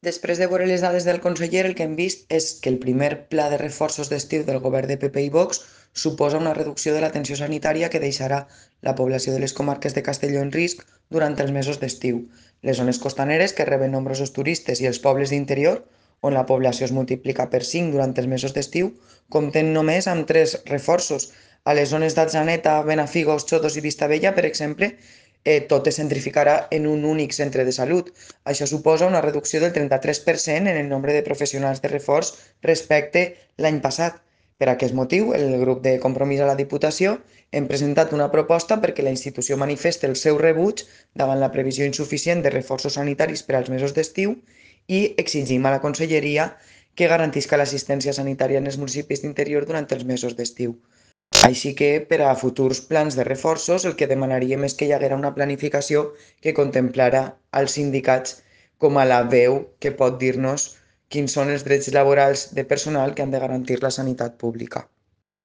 Després de veure les dades del conseller, el que hem vist és que el primer pla de reforços d'estiu del govern de PP i Vox suposa una reducció de l'atenció sanitària que deixarà la població de les comarques de Castelló en risc durant els mesos d'estiu. Les zones costaneres, que reben nombrosos turistes, i els pobles d'interior, on la població es multiplica per 5 durant els mesos d'estiu, compten només amb 3 reforços. A les zones d'Atzeneta, Benafigos, Xodos i Vistabella, per exemple, tot es centrificarà en un únic centre de salut. Això suposa una reducció del 33% en el nombre de professionals de reforç respecte l'any passat. Per aquest motiu, el grup de Compromís a la Diputació hem presentat una proposta perquè la institució manifesti el seu rebuig davant la previsió insuficient de reforços sanitaris per als mesos d'estiu i exigim a la Conselleria que garantisca l'assistència sanitària en els municipis d'interior durant els mesos d'estiu. Així que per a futurs plans de reforços el que demanaríem és que hi haguera una planificació que contemplara als sindicats com a la veu que pot dir-nos quins són els drets laborals de personal que han de garantir la sanitat pública.